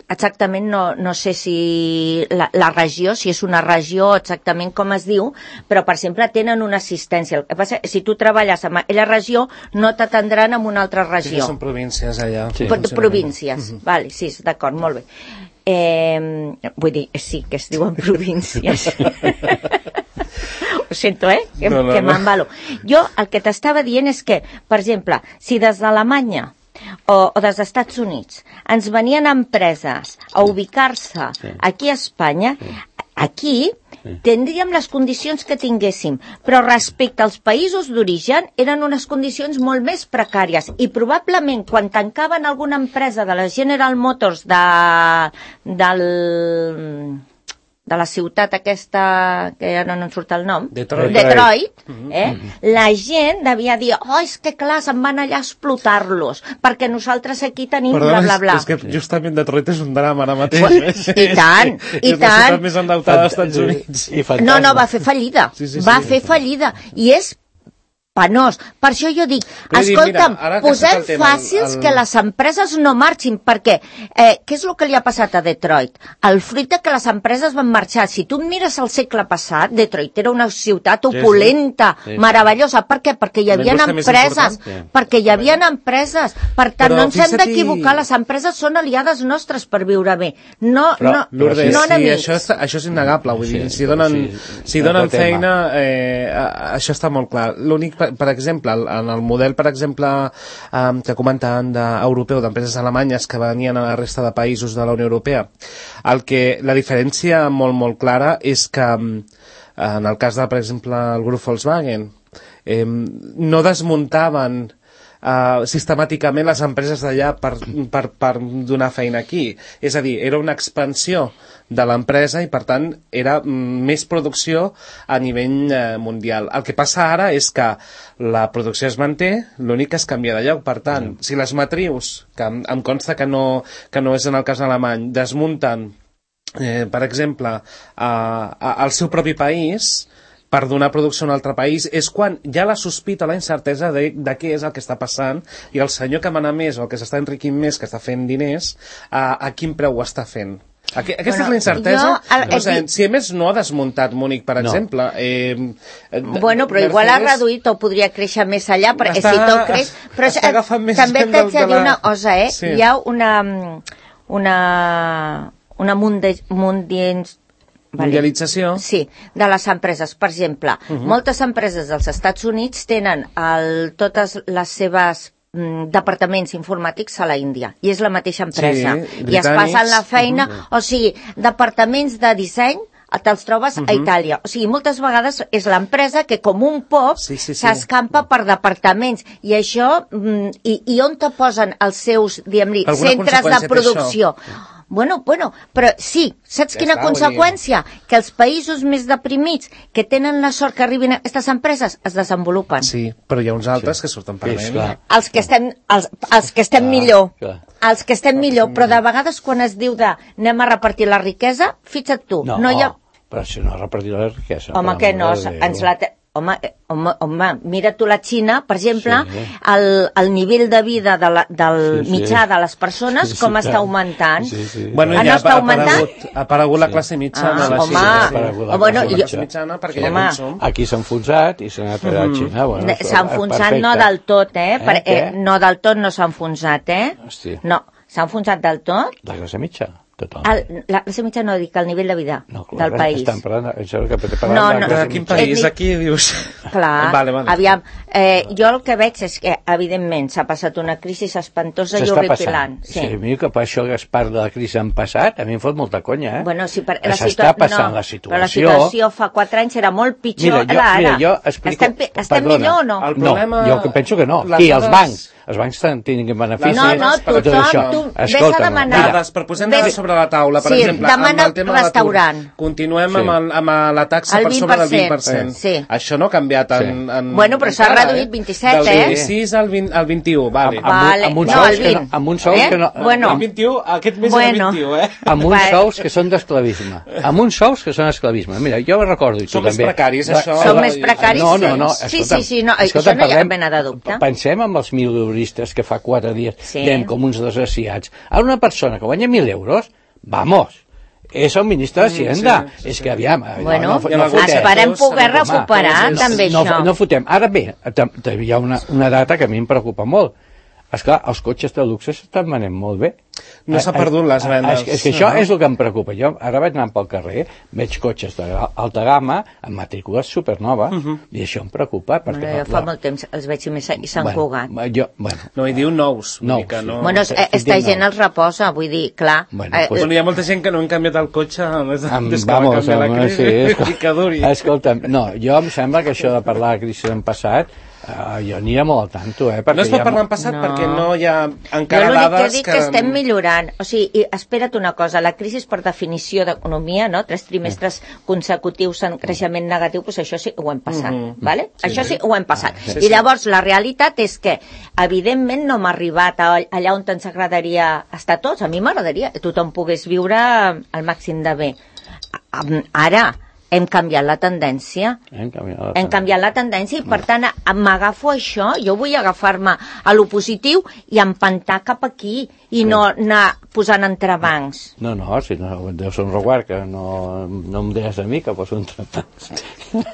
exactament no, no sé si la, la regió, si és una regió exactament com es diu, però per exemple tenen una assistència. El que passa, si tu treballes en aquella regió no t'atendran en una altra regió. Sí, són províncies allà. Sí. Províncies, uh-huh. Vale, sí, d'acord, molt bé. Eh, vull dir, sí, que es diuen províncies. Ho sento, eh? Que, no, no, que m'embalo. Jo el que t'estava dient és que, per exemple, si des d'Alemanya o, o dels Estats Units ens venien empreses a ubicar-se sí. Aquí a Espanya, sí. Aquí sí. Tindríem les condicions que tinguéssim, però respecte als països d'origen eren unes condicions molt més precàries i probablement quan tancaven alguna empresa de la General Motors de, del... de la ciutat aquesta, que ara no en surt el nom, Detroit, Detroit eh? La gent devia dir, oh, és que clar, se'n van allà a explotar-los, perquè nosaltres aquí tenim Perdona, bla, bla, bla. És, és que justament Detroit és un drama ara mateix. Pues, I tant, i tant. És la ciutat més endeutada dels Estats Units. I no, no, va fer fallida, sí, sí, sí, va sí, fer sí. fallida, i és penós. Per això jo dic, però escolta'm, mira, posem tema, fàcils el, el... que les empreses no marxin, perquè eh, què és el que li ha passat a Detroit? El fruit de que les empreses van marxar. Si tu mires el segle passat, Detroit era una ciutat opulenta, sí, sí. meravellosa. Per què? Perquè hi havia empreses. Perquè hi havia empreses. Per tant, però no ens hem d'equivocar. Les empreses són aliades nostres per viure bé. No, però, no, Lourdes, no sí, això, és, això és innegable. Vull dir, si donen, sí, si donen feina, eh, això està molt clar. L'únic Per, per exemple, en el model, per exemple, eh, que comentaven d'europeu, d'empreses alemanyes que venien a la resta de països de la Unió Europea, el que, la diferència molt, molt clara és que, en el cas de, per exemple, el grup Volkswagen, eh, no desmuntaven Uh, sistemàticament les empreses d'allà per, per, per donar feina aquí. És a dir, era una expansió de l'empresa i, per tant, era més producció a nivell uh, mundial. El que passa ara és que la producció es manté, l'únic que es canvia de lloc. Per tant, si les matrius, que em, em consta que no, que no és en el cas alemany, desmunten, eh, per exemple, uh, uh, al seu propi país, per donar producció a un altre país, és quan hi ha la sospita, la incertesa de, de què és el que està passant, i el senyor que mana més o el que s'està enriquint més, que està fent diners, a, a quin preu ho està fent. Aqu aquesta bueno, és la incertesa. Jo, el, el, o sigui, si a més no ha desmuntat Múnich, per no. exemple... Eh, bueno, però Mercedes, igual ha reduït o podria créixer més allà, perquè està, si tot creix... Però està agafant més també t'haig de dir la... una cosa, eh? Sí. Hi ha una... una, una munde, mundiens, mundialització. Vale. Sí, de les empreses. Per exemple, uh -huh. moltes empreses dels Estats Units tenen el, totes les seves mm, departaments informàtics a la Índia, i és la mateixa empresa. Sí, i es passen la feina, uh -huh. o sigui, departaments de disseny te'ls trobes uh -huh. a Itàlia. O sigui, moltes vegades és l'empresa que com un pop s'escampa sí, sí. per departaments, i això, mm, i, i on te posen els seus, diguem-li, centres de producció? Bueno, bueno, però sí, saps ja quina està, conseqüència? Que els països més deprimits que tenen la sort que arribin a aquestes empreses es desenvolupen. Sí, però hi ha uns altres sí. que surten per sí, els que estem, els, els que estem clar, millor, clar. els que estem clar, millor, però de vegades quan es diu de anem a repartir la riquesa, fixa't tu, no, no hi ha... però si no repartir la riquesa... Home, que no, ens la... Te... Home, home, home, mira tu la Xina, per exemple, sí. el, el nivell de vida de la, del sí, mitjà sí. de les persones, sí, sí, com està augmentant. Sí, sí. Bueno, ja no està ha, augmentant? Ha aparegut la classe mitjana. Ah, la home, Xina, sí. bueno, la classe mitjana, perquè home. Ja consum. Aquí s'ha enfonsat i s'ha anat a la Xina. Bueno, s'ha enfonsat no del tot, eh? eh? Per, eh no del tot no s'ha enfonsat, eh? Hòstia. No, s'ha enfonsat del tot. La classe mitja. tothom. El, la classe mitjana no dic el nivell de vida no, clar, del país. Estan parlant, això que parlant No, de no, la classe De quin mitjana. país? Aquí dius... Clar, Vale, vale. aviam, eh, jo el que veig és que, evidentment, s'ha passat una crisi espantosa i S'està horripilant. passant. Sí. Sí, a mi que per això que es part de la crisi en passat, a mi em fot molta conya, eh? Bueno, sí, per, la S'està passant no, la situació. Però la situació fa quatre anys era molt pitjor. Mira, jo, ara, mira, jo explico... Estem, estem perdona, millor o no? El problema- No, jo que penso que no. les Qui, els dades- bancs. Els bancs tinguin beneficis. No, no, per tot tothom, això. tu vés a Escolta'm, demanar. mira, Dades, per posem dades Ves- sobre la taula, per Sí, exemple, demana amb el tema de l'atur. restaurant. Continuem Sí. amb, el, amb la taxa El per sobre del vint per vint per cent. cent. Sí. Això no ha canviat en... Sí. en Bueno, però s'ha encara, reduït vint-i-set, Del eh? vint-i-sis al, vint, al vint-i-u, vale. Amb, Vale. amb, amb uns No, sous el que no, vint. amb uns sous Eh? que no, Bueno. El vint-i-u, aquest mes Bueno. era vint-i-u, eh? amb uns Va. sous que són d'esclavisme. Amb uns sous que són esclavisme. Mira, jo recordo, i tu Són més també. precaris, Va- això. Som va- més precaris, No, sí. no, no. Sí, escolta'm, sí, sí, no, escolta'm, això no hi ha parlem- mena de dubte. Pensem en els mileuristes que fa quatre dies Sí. dèiem com uns desgraciats. A una persona que guanya mil euros, vamos, és el ministre d'Hacienda. sí, sí, és sí. que, aviam, Bueno, no, I en no alguns fotem. esperem sectors, poder home, recuperar no, també no, això. no fotem. Ara bé, tam- també hi ha una, una data que a mi em preocupa molt. Esclar, els cotxes de luxe s'estan venent molt bé. No s'ha Eh, eh, perdut les vendes. És que, és que això No. és el que em preocupa. Jo ara vaig anar pel carrer, veig cotxes d'alta gamma amb matrícules supernoves, i això em preocupa. Perquè, Bueno, jo fa molt temps els veig i més- i s'han bueno, cugat. Jo, bueno, No, hi diu nous. Vull Nous, dir que no... sí. Bueno, sí, eh, esta sí, gent no. els reposa, vull dir, clar. Bueno, eh, pues- Bueno, hi ha molta gent que no han canviat el cotxe des, Amb, des que vamos, va canviar la amb, crisi. sí, escol- I que duri. Escolta'm, no, jo em sembla que això de parlar de crisi en passat, uh, jo aniria molt al tanto, eh? Perquè No es hi pot ha parlar mo- en passat No. perquè no hi ha Jo encara l'únic que dades dic que... que estem millorant. O sigui, i espera't una cosa, la crisi és per definició d'economia, no? Tres trimestres consecutius en creixement negatiu, doncs això sí que ho hem passat, Mhm. vale? Això sí que ho hem passat. sí, I sí. llavors la realitat és que, evidentment, no hem arribat a, allà on ens agradaria estar tots. A mi m'agradaria que tothom pogués viure al màxim de bé. A- Ara, hem canviat la tendència. Hem canviat, Hem canviat la tendència i, per tant, m'agafo això, jo vull agafar-me a lo positiu i empantar cap aquí i no anar posant entrebancs. No, no, si no, deu ser un reguard, que no, no em deies a mi que poso un trapàs.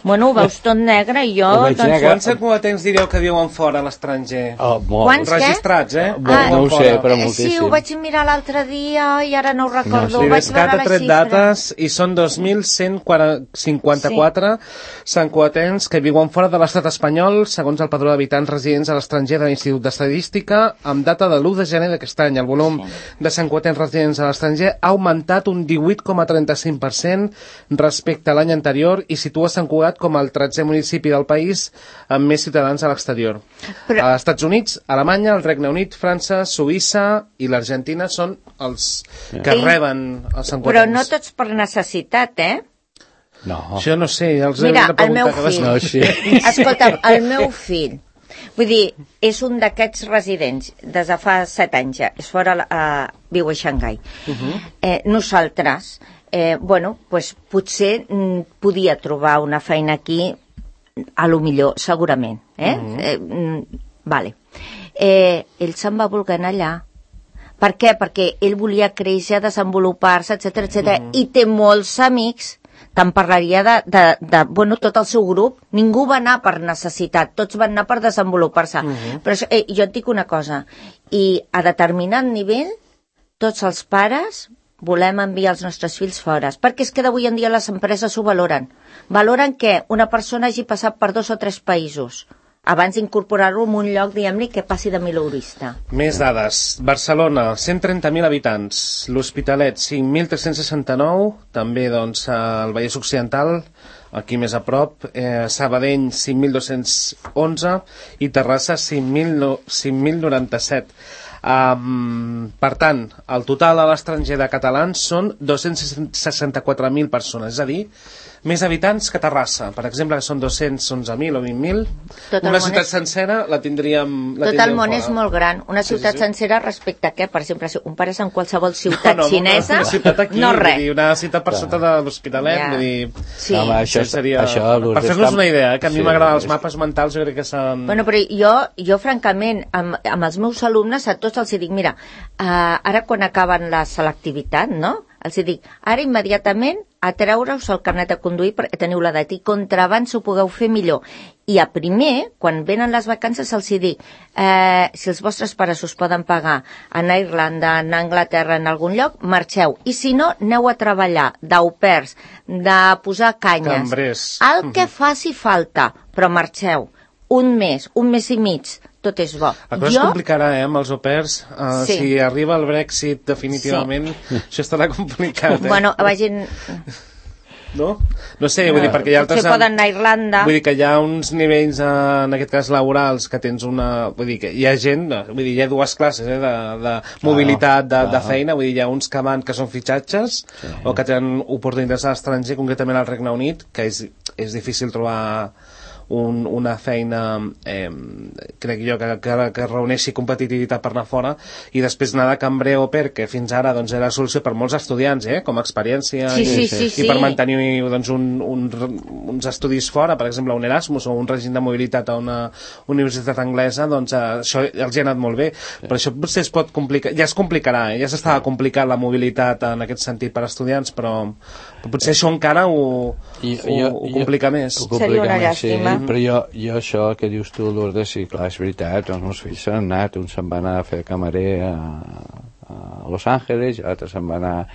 Bueno, ho veus tot negre i jo... Ho veig Doncs, negre. Quants equatents direu que viuen fora a l'estranger? Oh, molt. Quants? què? Registrats, eh? Bo- Ah, no ho sé, Fora. però eh, sí, moltíssim. ho vaig mirar l'altre dia i ara no ho recordo. No, ho sí, vaig L'Idescat veure ha la tret xifra. dates i són dos mil cent cinquanta-quatre sancoatens que viuen fora de l'estat espanyol, segons el padró d'habitants residents a l'estranger de l'Institut d'Estadística, amb data de l'u de gener d'aquest any. El volum de sancoatens residents a l'estranger ha augmentat un divuit coma trenta-cinc per cent respecte a l'any anterior i situa Sant Cugat com el tretzè municipi del país amb més ciutadans a l'exterior. Però- A Estats Units, Alemanya, el Regne Unit, França, Suïssa i l'Argentina són els que Sí. reben els sancoatens. Però no tots per necessitat, eh? No. Això no sé, els Mira, he de el meu preguntar fill... cada No, sí. Escolta'm, el meu fill, vull dir, és un d'aquests residents des de fa set anys ja, és fora, uh, viu a Xangai. Uh -huh. eh, nosaltres, eh, bueno, pues, potser mm, podia trobar una feina aquí, a lo millor, segurament. Eh? Uh -huh. eh, mm, vale. Eh, ell se'n va voler anar allà. Per què? Perquè ell volia créixer, desenvolupar-se, etcètera, etcètera, uh -huh. i té molts amics. Te'n parlaria de, de, de, bueno, tot el seu grup. Ningú va anar per necessitat, tots van anar per desenvolupar-se. Uh -huh. Però això, eh, jo et dic una cosa, i a determinat nivell, tots els pares volem enviar els nostres fills fora, perquè és que d'avui en dia les empreses ho valoren. Valoren que una persona hagi passat per dos o tres països abans d'incorporar-lo en un lloc, diguem-li, que passi de mileurista. Més dades. Barcelona, cent trenta mil habitants. L'Hospitalet, cinc mil tres-cents seixanta-nou. També, doncs, al Vallès Occidental, aquí més a prop. Eh, Sabadell, cinc mil dos-cents onze. I Terrassa, cinc mil noranta-set. Um, per tant, el total a l'estranger de catalans són dos-cents seixanta-quatre mil persones, és a dir, més habitants que Terrassa, per exemple, que són dos-cents onze mil o vint mil. Tot el Una món ciutat és- sencera la tindríem, la Tot el tindríem món fora. és molt gran. Una ciutat sí, sí. sencera respecte a què? Per exemple, si compares amb qualsevol ciutat no, no, xinesa, una ciutat aquí, no vull res. dir, una ciutat per sota de l'Hospitalet, Ja. vull dir... Sí. Home, això, Això seria... això, per fer-nos està- una idea, eh, que a mi sí, m'agraden els és- mapes mentals, jo crec que s'han... Bueno, però jo, jo francament, amb, amb els meus alumnes, a tots els dic, mira, uh, ara quan acaben la selectivitat, no?, els dic, ara immediatament a treure-us el carnet de conduir perquè teniu l'edat i contra abans ho pugueu fer millor. I a primer, quan venen les vacances, se'ls hi dic, eh, si els vostres pares us poden pagar anar a Irlanda, anar a Anglaterra, en algun lloc, marxeu. I si no, aneu a treballar d'au pairs, de posar canyes. Cambrers. El que faci falta, però marxeu. Un mes, un mes i mig, tot és bo. La cosa jo... es complicarà, eh, amb els au pairs. Uh, sí. Si arriba el Brexit definitivament, sí. Això estarà complicat. Eh? Bueno, vagin... No? No sé, vull dir, perquè hi ha altres... Potser poden anar a Irlanda. Vull dir que hi ha uns nivells, en aquest cas laborals, que tens una... Vull dir que hi ha gent, vull dir, hi ha dues classes, eh, de, de mobilitat, de, de feina, vull dir, hi ha uns que van, que són fitxatges, sí. O que tenen oportunitats a l'estranger, concretament al Regne Unit, que és, és difícil trobar... Un, una feina eh, crec jo que, que, que reuneixi competitivitat per anar fora, i després anar de cambrer o per, que fins ara doncs, era la solució per molts estudiants, eh, com a experiència, sí, i, sí, sí, i sí. per mantenir doncs, un, un, uns estudis fora, per exemple un Erasmus o un règim de mobilitat a una universitat anglesa, doncs eh, això els ha anat molt bé, sí. Però això potser es pot complicar, ja es complicarà, eh? Ja s'estava sí. Complicant la mobilitat en aquest sentit per estudiants, però, però potser això encara ho, I, ho, jo, ho complica jo, més. Ho complica seria una més, llàstima. Sí. Però jo, jo això que dius tu, Lourdes, sí, clar, és veritat, els meus fills s'han anat, un se'n va anar a fer camarer a, a Los Angeles, i l'altre se'n va anar a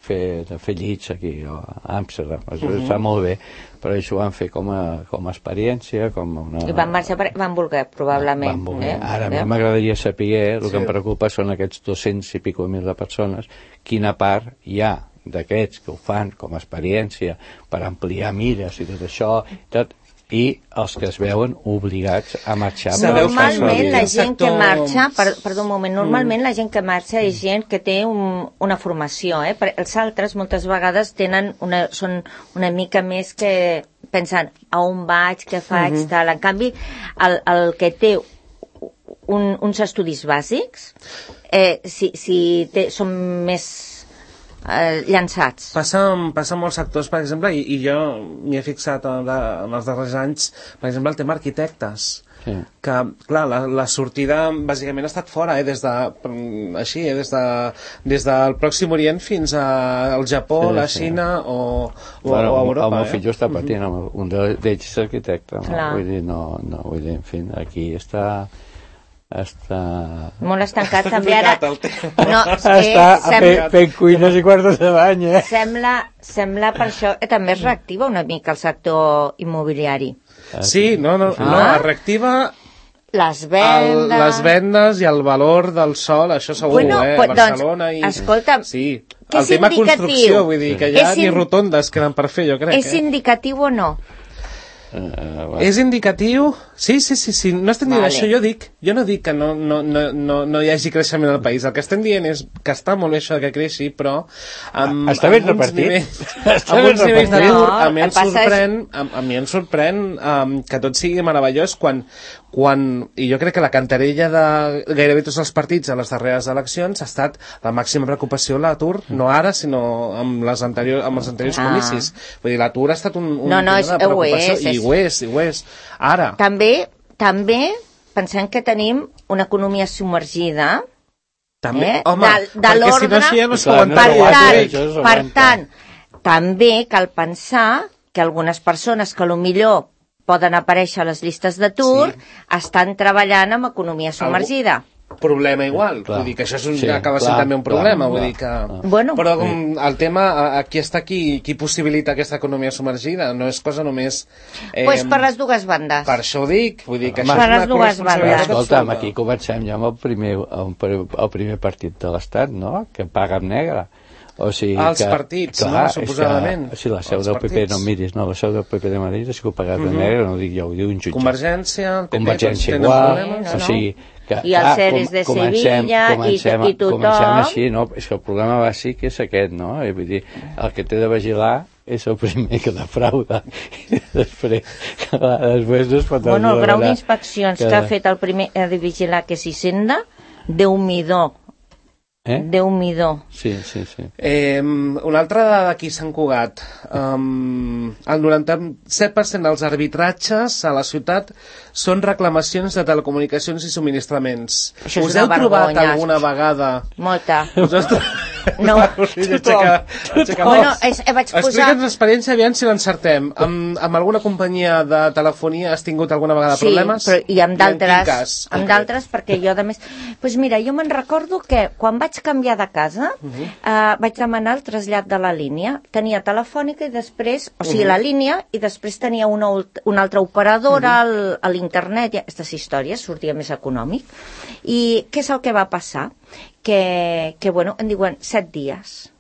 fer, a fer llits aquí a Amsterdam. Això uh -huh. està molt bé, però això ho van fer com a, com a experiència, com una... I van marxar, per... van voler, probablement. Van voler. Eh? Ara, a mi eh? m'agradaria saber, el sí. que em preocupa són aquests dos-cents i pico mil de persones, quina part hi ha d'aquests que ho fan com a experiència per ampliar mires i tot això, tot, i els que es veuen obligats a marxar. Normalment la gent que marxa, per, perdó un moment, normalment la gent que marxa és gent que té un, una formació, eh? Els altres moltes vegades tenen una, són una mica més que pensant a on vaig, què faig, uh -huh. tal. En canvi, el, el que té un, uns estudis bàsics, eh, si, si té, són més Eh, llançats. Passa, passa en molts sectors, per exemple, i, i jo m'hi he fixat en, en els darrers anys, per exemple, el tema arquitectes. Sí. Que, clar, la, la sortida bàsicament ha estat fora, eh, des de, així, eh, des, de, des del Pròxim Orient fins al Japó, sí, la Xina sí. o, o, bueno, o a Europa. El meu eh? fill està patint, uh -huh. un d'ells és arquitecte, no? Vull dir, no, no, vull dir, en fi, aquí està... està... Molt estancat, està també ara... No, està fent, fent cuines i quartos de bany, eh? Sembla, sembla per això que també es reactiva una mica el sector immobiliari. Sí, no, no, ah. no, es reactiva... Les vendes... El, les vendes i el valor del sol, això segur, bueno, eh? Pues, Barcelona doncs, i... Escolta, sí. El tema construcció, vull dir, que ja ni rotondes queden per fer, jo crec. És eh? indicatiu o no? Uh, bueno. És indicatiu? Sí, sí, sí, sí. No estem dient vale. Això, jo dic, jo no dic que no, no, no, no, no hi hagi creixement al país. El que estem dient és que està molt bé això que creixi, però amb, està ben amb uns repartit. nivells, està amb uns nivells d'atur, no, a mi em sorprèn, és... a, a mi em sorprèn um, que tot sigui meravellós quan, quan, i jo crec que la cantarella de gairebé tots els partits a les darreres eleccions ha estat la màxima preocupació l'atur, no ara, sinó amb, les anterior, amb els anteriors ah. comicis. Vull dir, l'atur ha estat un, un no, no, és, de preocupació, és, és... i ho és, i ho és. Ara... També, també pensem que tenim una economia submergida, també, eh? home, de, de l'ordre, si no així ja no es per, tant, per tant, també cal pensar que algunes persones que potser poden aparèixer a les llistes d'atur sí. estan treballant amb economia submergida. Algú... problema igual, clar. Vull dir que això és un, sí, acaba sent clar, també un problema, clar, vull clar, dir que... clar. Bueno, però sí. El tema, aquí està qui, qui possibilita aquesta economia submergida, no és cosa només... Eh, pues per les dues bandes. Per això ho dic, vull dir que per això és una corresponsabilitat. Escolta'm, aquí comencem ja amb el primer, el primer partit de l'Estat, no?, que paga amb negre. O sigui els que, partits, clar, no? Suposadament. Que, si la seu del P P, no miris, no, la seu del P P de Madrid és que ho pagat de negre, no ho dic jo, ho diu un jutge. Convergència, el P P, Convergència igual, problemes, o sigui... Que, i els seres de Sevilla comencem, i, i tothom... Comencem així, no? És que el problema bàsic és aquest, no? I vull dir, el que té de vigilar és el primer que defrauda. I després, clar, després no es pot... Bueno, el grau d'inspeccions que... que ha fet el primer de vigilar, que és Hisenda, Déu-m'hi-do. Eh? Déu-m'hi-do. Sí, sí, sí. Eh, una altra dada d'aquí Sant Cugat. Um, el noranta-set per cent dels arbitratges a la ciutat són reclamacions de telecomunicacions i subministraments. Això us heu trobat alguna vegada... Molta. Us heu, No, O sigui, aixeca, aixeca bueno, és, eh, vaig posar... Explica'ns l'experiència, aviam si l'encertem. Amb, amb alguna companyia de telefonia has tingut alguna vegada sí, problemes? Però, i amb d'altres, cas, amb d'altres, perquè jo, a més... Doncs mira, jo me'n recordo que quan vaig canviar de casa, uh -huh. eh, vaig demanar el trasllat de la línia. Tenia telefònica i després, o sigui, uh -huh. la línia, i després tenia una, una altra operadora uh -huh. al, a l'internet, i aquestes històries, sortia més econòmic. I què és el que va passar? Que, que bueno, em diuen set dies.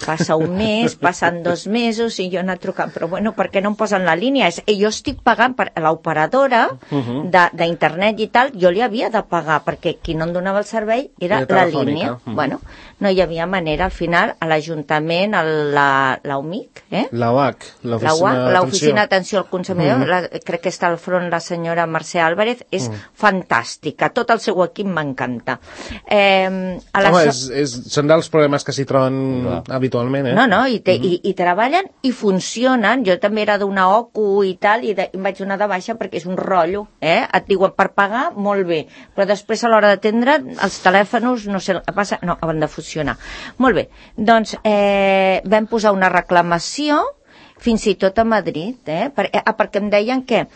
Passa un mes, passen dos mesos i jo he anat trucant, però bueno, per què no em posen la línia? És, jo estic pagant per l'operadora uh-huh. d'internet i tal, jo li havia de pagar, perquè qui no em donava el servei era la línia. Uh-huh. Bueno, no hi havia manera, al final, a l'Ajuntament, a la, la U M I C, eh? La U A C, l'Oficina d'Atenció al Consumidor, uh-huh. la, crec que està al front la senyora Mercè Álvarez, és uh-huh. fantàstica, tot el seu equip m'encanta. Eh, Home, és, és, són dels problemes que s'hi troben no. habitualment, eh? No, no, i, te, uh-huh. i, i treballen i funcionen. Jo també era d'una O C U i tal, i, de, i em vaig donar de baixa perquè és un rotllo, eh? Et diuen per pagar, molt bé, però després a l'hora d'atendre els telèfons, no sé què passa, no, han de funcionar. Molt bé, doncs eh, vam posar una reclamació fins i tot a Madrid, eh? Per, eh perquè em deien que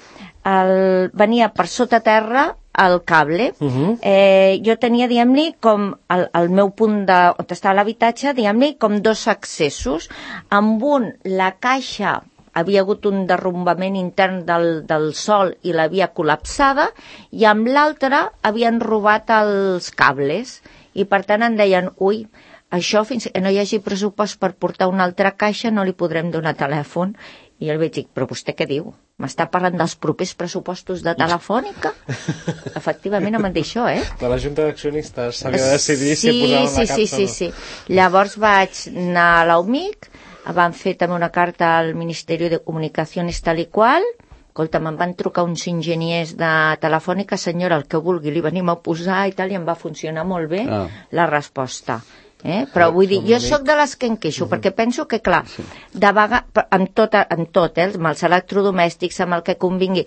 el, venia per sota terra el cable. Uh-huh. eh, jo tenia, diguem-li, com el, el meu punt de, on estava l'habitatge, diguem-li, com dos accessos. Amb un, la caixa havia hagut un derrumbament intern del, del sol i l'havia col·lapsada, i amb l'altre havien robat els cables. I per tant em deien, ui, això fins que no hi hagi pressupost per portar una altra caixa no li podrem donar telèfon. I jo li vaig dir, però vostè què diu? M'està parlant dels propers pressupostos de Telefònica? Efectivament, em van dir això, eh? De la Junta d'Accionistes s'havia de decidir sí, si posaven sí, la capsa sí, sí, sí, sí. Llavors vaig anar a la U M I C, van fer també una carta al Ministeri de Comunicacions tal i qual. Escolta, me'n van trucar uns enginyers de Telefònica, senyora, el que vulgui, li venim a posar i tal, i em va funcionar molt bé ah. la resposta. Eh? Però vull dir, jo sóc de les que em queixo, uh-huh. perquè penso que, clar, de vegades, amb tot, amb tot eh, amb els electrodomèstics, amb el que convingui,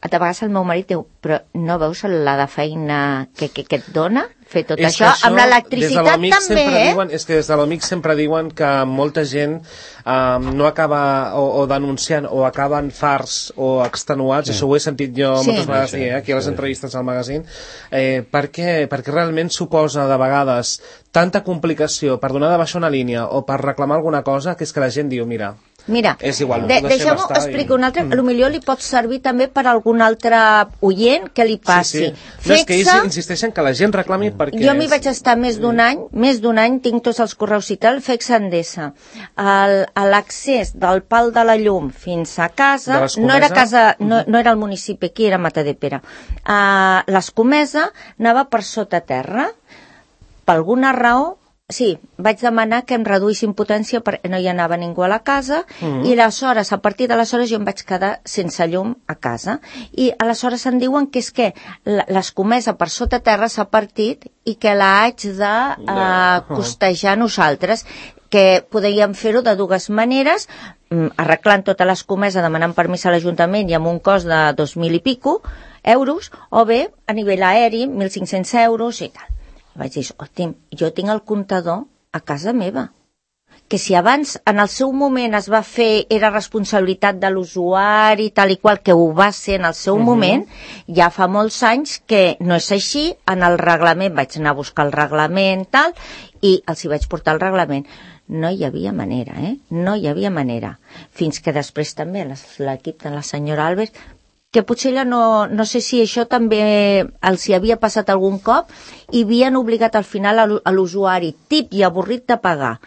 de vegades el meu marit diu, però no veus la de feina que, que, que et dona fer tot és això? això? Amb l'electricitat també, eh? Diuen, és que des de l'O M I C sempre diuen que molta gent um, no acaba o, o denunciant o acaben farts o extenuats, sí. Això ho he sentit jo sí. moltes vegades sí, dir, eh, aquí a les entrevistes al magazín, eh, perquè, perquè realment suposa de vegades tanta complicació per donar de baixa una línia o per reclamar alguna cosa que és que la gent diu, mira, Mira, és igual, de, deixeu-m'ho explicar i... un altre, mm. potser li pot servir també per algun altre oient que li passi. Sí, sí. No, és que ells insisteixen que la gent reclami perquè... Jo m'hi vaig estar més d'un any, més d'un any, tinc tots els correus i tal, F E X Endesa. L'accés del pal de la llum fins a casa, no era casa, no, no era el municipi aquí, era Matadepera. Uh, L'Escomesa anava per sota terra, per alguna raó. Sí, vaig demanar que em reduïssin potència perquè no hi anava ningú a la casa mm-hmm. i aleshores, a partir d'aleshores jo em vaig quedar sense llum a casa i aleshores em diuen que és que l'escomesa per sota terra s'ha partit i que la haig de uh, costejar nosaltres, que podríem fer-ho de dues maneres, arreglant tota l'escomesa, demanant permís a l'Ajuntament i amb un cost de dos mil i pico euros, o bé a nivell aeri, mil cinc-cents euros i tal. Vaig dir, hosti, jo tinc el comptador a casa meva, que si abans en el seu moment es va fer, era responsabilitat de l'usuari tal i qual, que ho va ser en el seu uh-huh. moment, ja fa molts anys que no és així. En el reglament vaig anar a buscar el reglament tal, i els hi vaig portar el reglament. No hi havia manera, eh? No hi havia manera. Fins que després també l'equip de la senyora Albert, que potser ella no, no sé si això també els hi havia passat algun cop i havien obligat al final a l'usuari tip i avorrit de pagar.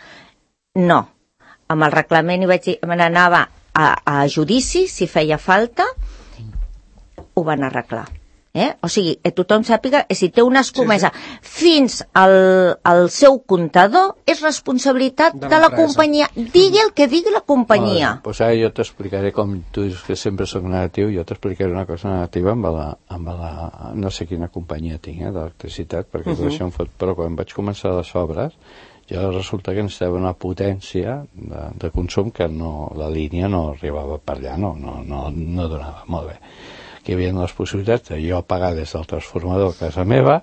No, amb el reglament hi vaig dir, me n'anava a, a judici si feia falta, ho van arreglar. Eh? O sigui, que tothom sàpiga que si té una escomesa sí, sí. fins al, al seu comptador és responsabilitat de, de la companyia. Digui el que digui la companyia. Vale, pues ara jo t'explicaré, com tu dius que sempre soc negatiu, jo t'explicaré una cosa negativa amb la, amb la no sé quina companyia tinc, eh, d'electricitat, perquè uh-huh. tot això em fot, però quan vaig començar les obres, jo resulta que necessitava una potència de, de consum que no, la línia no arribava per allà, no, no, no, no donava molt bé. Que hi havia les possibilitats de jo pagar des del transformador a casa meva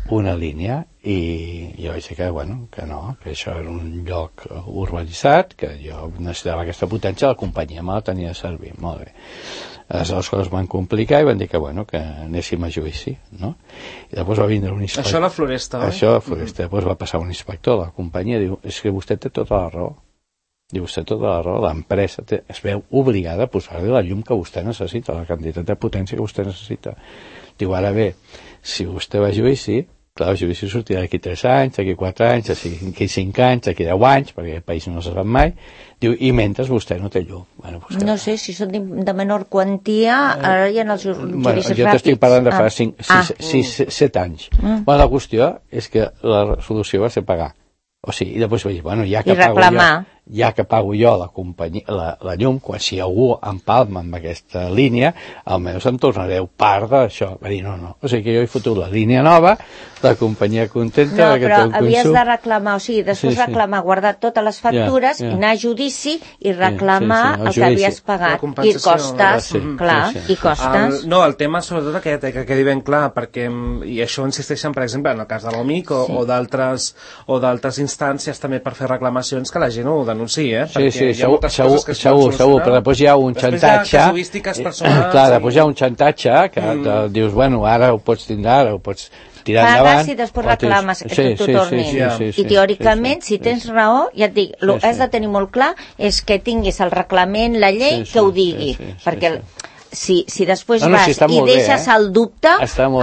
una línia i jo vaig dir que, bueno, que no, que això era un lloc urbanitzat, que jo necessitava aquesta potència, la companyia me la tenia de servir, molt bé. Aleshores les coses van complicar i van dir que, bueno, que anéssim a judici, no? I després va vindre un inspector. Això a la Floresta, oi? Això a la Floresta. Mm-hmm. Després va passar un inspector de la companyia i diu, és que vostè té tota la raó. Diu, vostè té tota la raó, l'empresa es veu obligada a posar-li la llum que vostè necessita, la quantitat de potència que vostè necessita. Diu, ara bé, si vostè va a judici, clar, el judici sortirà d'aquí tres anys, d'aquí quatre anys, d'aquí cinc anys, d'aquí deu anys, perquè el país no se sap mai. Diu, i mentre vostè no té llum. Bueno, pues, no sé, si són de menor quantia, ara hi ha els judicis bueno, ràpids. Jo t'estic parlant de fa ah. cinc, ah. sis, sis, set anys. Mm. Bueno, la qüestió és que la solució va ser pagar. O sigui, i després vaig dir, bueno, ja que I reclamar. pago jo, ja que pago jo la, companyia, la, la llum, quan si algú empalma amb aquesta línia, almenys em tornareu part d'això. Va dir, no, no. O sigui que jo he fotut la línia nova, la companyia contenta... No, però havies consum. de reclamar, o sigui, després sí, sí. reclamar, guardar totes les factures, yeah, yeah. anar a judici i reclamar sí, sí, sí. El, el que havies pagat. I costes, sí, clar, sí, sí. i costes. El, no, el tema sobretot que, que quedi ben clar, perquè, i això insisteixen, per exemple, en el cas de l'OMIC o, sí. o d'altres o d'altres instàncies també per fer reclamacions, que la gent ho denunciï, eh? Sí, sí, segur, segur, segur, segur, però després hi ha un després xantatge... Després hi ha casuístiques personals... Clar, després hi ha un xantatge que mm. te, dius, bueno, ara ho pots tindre, ara ho pots tirar pagues endavant... Pagues i després reclames que sí, t'ho sí, tornin. Sí, sí, sí, sí, I teòricament, sí, sí, si tens sí, raó, ja et dic, el sí, que has de tenir molt clar és que tinguis el reglament, la llei, sí, sí, que ho digui, sí, sí, sí, perquè... Sí, sí. Si, si després no, no, vas si i deixes bé, eh? el dubte,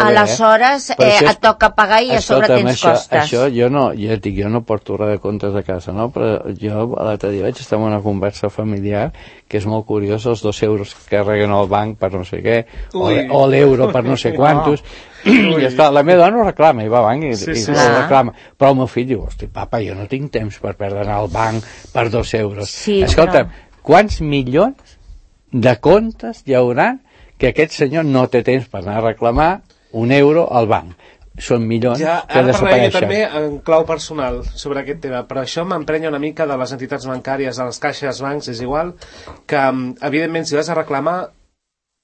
aleshores bé, eh? eh, et toca pagar i a sobre tens això, costes. Això jo no, ja et dic, jo no porto res de comptes a casa, no? Però jo l'altre dia vaig estar en una conversa familiar que és molt curiós, els dos euros que carreguen al banc per no sé què, o, o l'euro per no sé quantos, no. I esclar, la meva dona ho reclama, i va al banc i, sí, i sí, ho reclama. Però el meu fill diu, hosti, papa, jo no tinc temps per perdre anar al banc per dos euros. Sí, escolta, però... quants milions de comptes hi haurà que aquest senyor no té temps per anar a reclamar un euro al banc. Són milions ja, que desapareixen. Ja, també en clau personal sobre aquest tema, però això m'emprenya una mica de les entitats bancàries, de les caixes, bancs, és igual, que evidentment si vas a reclamar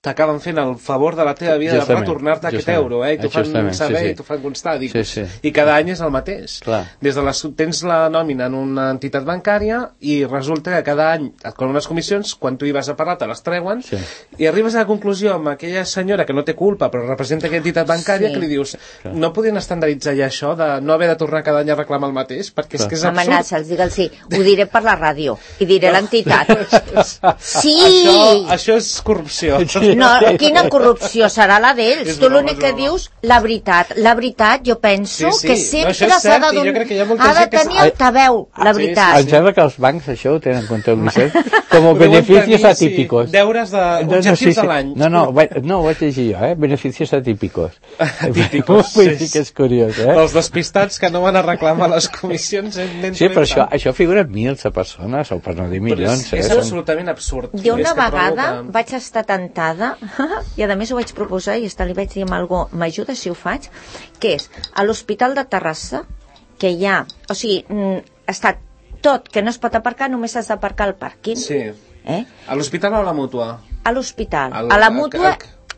t'acaben fent el favor de la teva vida justament, de retornar-te aquest euro, eh? I t'ho fan saber, sí, sí. i t'ho fan constar, dic, sí, sí. I cada any és el mateix. Clar. Des de les, tens la nòmina en una entitat bancària i resulta que cada any et colen unes comissions, quan tu hi vas a parlar te les treuen, sí. i arribes a la conclusió amb aquella senyora que no té culpa però representa aquella entitat bancària sí. que li dius, clar. No podien estandarditzar ja això de no haver de tornar cada any a reclamar el mateix, perquè clar. És que és absurd. Amenaça'ls, digue'ls sí, ho diré per la ràdio i diré no. l'entitat. Sí! Això, això és corrupció. No, quina corrupció serà la d'ells? Tu l'únic que dius, la veritat. La veritat, jo penso sí, sí. que sempre no, s'ha de, don... ha de tenir el tabeu, la veritat. Em sembla que els bancs això ho tenen comptabilitzat com a beneficios atípicos. Sí. Deures de objectius no, no, sí, sí. de l'any. No, no, no, ho vaig llegir jo, eh? Beneficios atípicos. Atípicos, vull dir que és curiós, eh? Els despistats que no van a reclamar les comissions. Sí, però això, això figura mils de persones, o per no dir milions. És, és absolutament absurd. Jo una vegada vaig estar tentada i a més ho vaig proposar i li vaig dir amb algú, m'ajuda si ho faig, que és a l'Hospital de Terrassa, que hi ha, o sigui, està tot que no es pot aparcar, només has d'aparcar al pàrquing. Sí. Eh? A l'hospital o a la mútua? A l'hospital. A la mútua,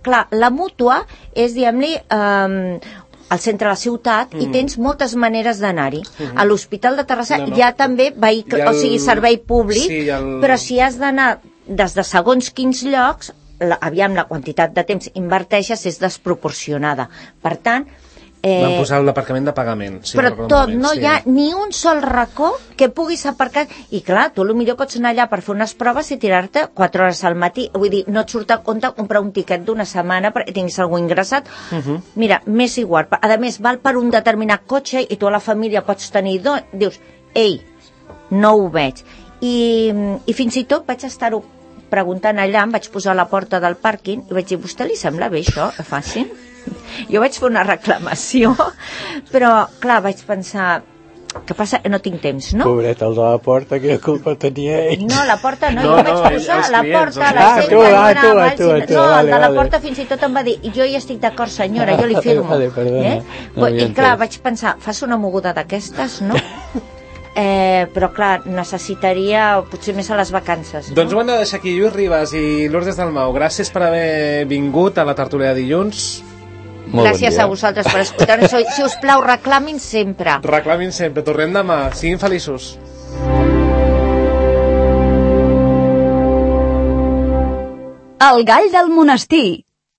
clar, la mútua és, diguem-li, eh, al centre de la ciutat, mm. i tens moltes maneres d'anar-hi. Mm-hmm. A l'Hospital de Terrassa no, no. hi ha també vehicle, el... o sigui, servei públic, sí, el... però si has d'anar des de segons quins llocs, la, aviam, la quantitat de temps inverteixes és desproporcionada. Per tant... Eh, van posar l'aparcament de pagament. Sí, però tot, no sí. hi ha ni un sol racó que puguis aparcar. I clar, tu potser pots anar allà per fer unes proves i tirar-te quatre hores al matí. Vull dir, no et surt a compte comprar un tiquet d'una setmana perquè tinguis algú ingressat. Uh-huh. Mira, m'és igual. A més, val per un determinat cotxe i tu a la família pots tenir dos. Dius, ei, no ho veig. I, i fins i tot vaig estar-ho preguntant allà, em vaig posar a la porta del pàrquing i vaig dir, vostè li sembla bé això, que facin? Jo vaig fer una reclamació, però clar, vaig pensar, què passa? No tinc temps, no? Pobret, el de la porta, quina culpa tenia ell. No, la porta no, no jo no, vaig posar la clients, porta, la gent que anava, tu, tu, tu, no, vale, el de la vale. porta fins i tot em va dir, jo hi estic d'acord senyora, jo li firmo. Vale, perdona, eh? no I clar, vaig pensar, fas una moguda d'aquestes, no? Eh, però clar, necessitaria potser més a les vacances, no? Doncs ho hem de deixar aquí. Lluís Ribas i Lourdes Dalmau, gràcies per haver vingut a la tertúlia de dilluns. Molt Gràcies bon dia. a vosaltres per escoltar-nos. Si us plau, reclamin sempre. Reclamin sempre, tornem demà, siguin feliços. El gall del monestir.